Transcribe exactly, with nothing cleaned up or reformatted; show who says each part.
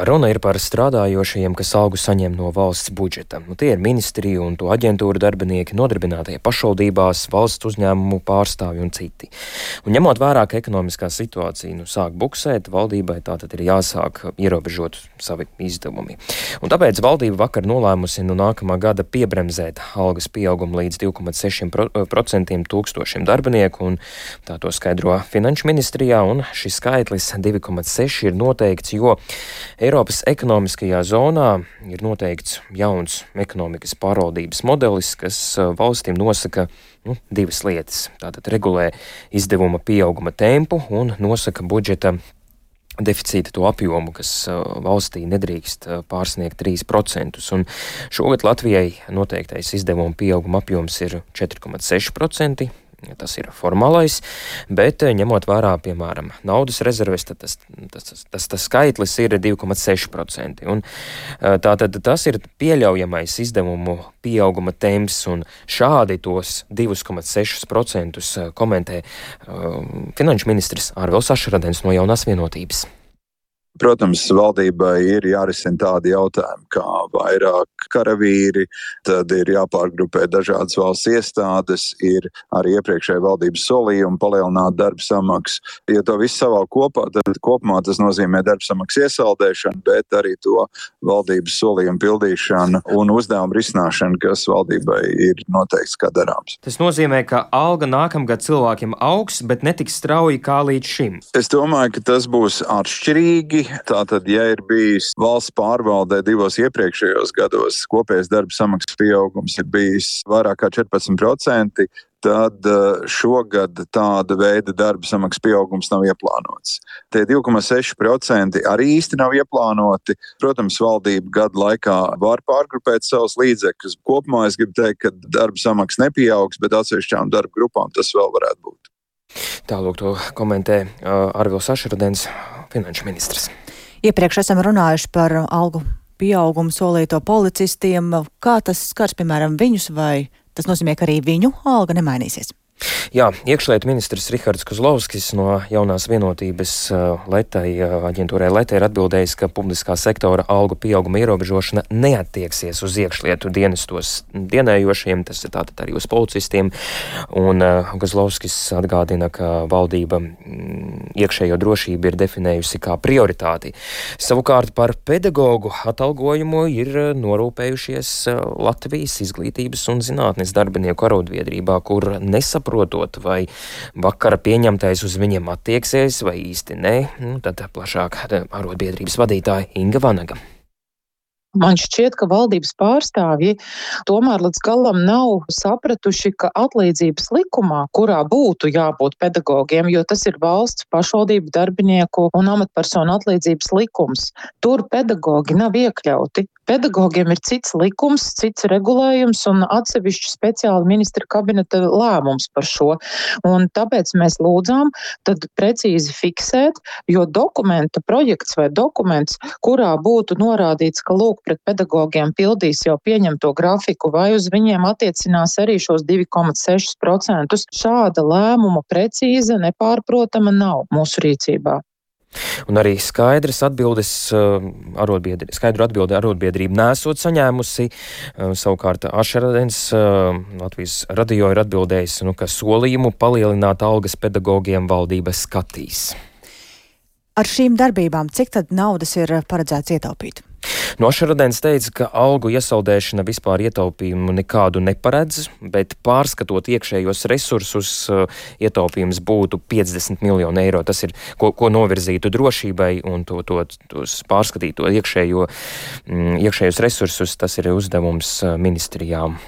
Speaker 1: Runa ir par strādājošajiem, kas algu saņem no valsts budžeta. Nu, tie ir ministriju un to aģentūru darbinieki, nodarbinātie pašvaldībās, valsts uzņēmumu pārstāvji un citi. Un ņemot vērā, ka ekonomiskā situācija nu, sāk buksēt, valdībai tātad ir jāsāk ierobežot savi izdevumi. Un tāpēc valdība vakar nolēmusi no nākamā gada piebremzēt algas pieaugumu līdz divi komats seši procenti tūkstošiem darbinieku, un tā to skaidro Finanšu ministrijā, un šis skaitlis divi komats seši ir noteikts, jo Eiropas ekonomiskajā zonā ir noteikts jauns ekonomikas pārvaldības modelis, kas valstīm nosaka nu, divas lietas. Tātad regulē izdevuma pieauguma tempu un nosaka budžeta deficīta to apjomu, kas valstī nedrīkst pārsniegt trīs procentus. Un šogad Latvijai noteiktais izdevuma pieauguma apjoms ir četri komats seši procenti. Tas ir formālais, bet ņemot vērā, piemēram, naudas rezerves, tad tas, tas, tas, tas skaitlis ir divi komats seši procenti. Un tātad tas ir pieļaujamais izdevumu pieauguma temps, un šādi tos divi komats seši procenti komentē uh, finanšu ministrs Arvils Ašradens no Jaunās Vienotības.
Speaker 2: Protams, valdībai ir jārisina tādi jautājumi kā vairāk karavīri, tad ir jāpārgrupē dažādas valsts iestādes, ir arī iepriekšēja valdības solījumi palielināt darba samaksu. Ja to visu savalk kopā, tad kopumā tas nozīmē darba samaksu iesaldēšanu, bet arī to valdības solījumu pildīšanu un uzdevumu risināšanu, kas valdībai ir noteikts kā darāms.
Speaker 1: Tas nozīmē, ka alga nākamgad cilvēkiem augs, bet netiks strauji kā līdz šim.
Speaker 2: Es domāju, ka tas būs atšķirīgi. Tātad, ja ir bijis valsts pārvaldē divos iepriekšējos gados, kopējais darba samaksas pieaugums ir bijis vairāk kā četrpadsmit procenti, tad šogad tāda veida darba samaksas pieaugums nav ieplānots. Tie divi komats seši procenti arī īsti nav ieplānoti. Protams, valdība gadu laikā var pārgrupēt savus līdzekļus. Kopumā es gribu teikt, ka darba samaksas nepieaugs, bet atsevišķām darba grupām tas vēl varētu būt.
Speaker 1: Tālūk to komentē uh, Arvils Ašradens, finanšu ministrs.
Speaker 3: Iepriekš esam runājuši par algu pieaugumu solīto policistiem. Kā tas skars, piemēram, viņus, vai tas nozīmē, ka arī viņu alga nemainīsies?
Speaker 1: Jā, iekšlietu ministrs Rihards Kozlovskis no Jaunās Vienotības Letai, aģentūrai Letai ir atbildējis, ka publiskā sektora algu pieauguma ierobežošana neattieksies uz iekšlietu dienestos dienējošiem, tas ir tātad arī uz policistiem, un Kozlovskis atgādina, ka valdība iekšējo drošību ir definējusi kā prioritāti. Savukārt par pedagogu atalgojumu ir norūpējušies Latvijas izglītības un zinātnes darbinieku arotbiedrībā, kur nesaprot Protot, vai vakara pieņemtais uz viņiem attieksies, vai īsti nē, nu, tad plašāk arotbiedrības vadītāja Inga Vanaga.
Speaker 4: Man šķiet, ka valdības pārstāvji tomēr līdz galam nav sapratuši, ka atlīdzības likumā, kurā būtu jābūt pedagogiem, jo tas ir valsts pašvaldību darbinieku un amatpersonu atlīdzības likums, tur pedagogi nav iekļauti. Pedagogiem ir cits likums, cits regulējums un atsevišķi speciāli ministra kabineta lēmums par šo. Un tāpēc mēs lūdzām tad precīzi fiksēt, jo dokumenta projekts vai dokuments, kurā būtu norādīts, ka lūk pret pedagogiem pildīs jau pieņemto grafiku vai uz viņiem attiecinās arī šos divi komats seši procenti. Šāda lēmuma precīza, nepārprotama nav mūsu rīcībā.
Speaker 1: Un arī skaidras atbildes, arotbiedri, skaidru atbildi arotbiedrība nesot saņēmusi. Savukārt Ašradens Latvijas radio ir atbildējis, nu, ka solījumu palielināt algas pedagogiem valdība skatīs.
Speaker 3: Ar šīm darbībām cik tad naudas ir paredzēts ietaupīt?
Speaker 1: No Ašradens teica, ka algu iesaldēšana vispār ietaupījumu nekādu neparedz, bet pārskatot iekšējos resursus, ietaupījums būtu piecdesmit miljoni eiro. Tas ir, ko, ko novirzītu drošībai un to, to, tos pārskatīto iekšējo, iekšējos resursus, tas ir uzdevums ministrijām.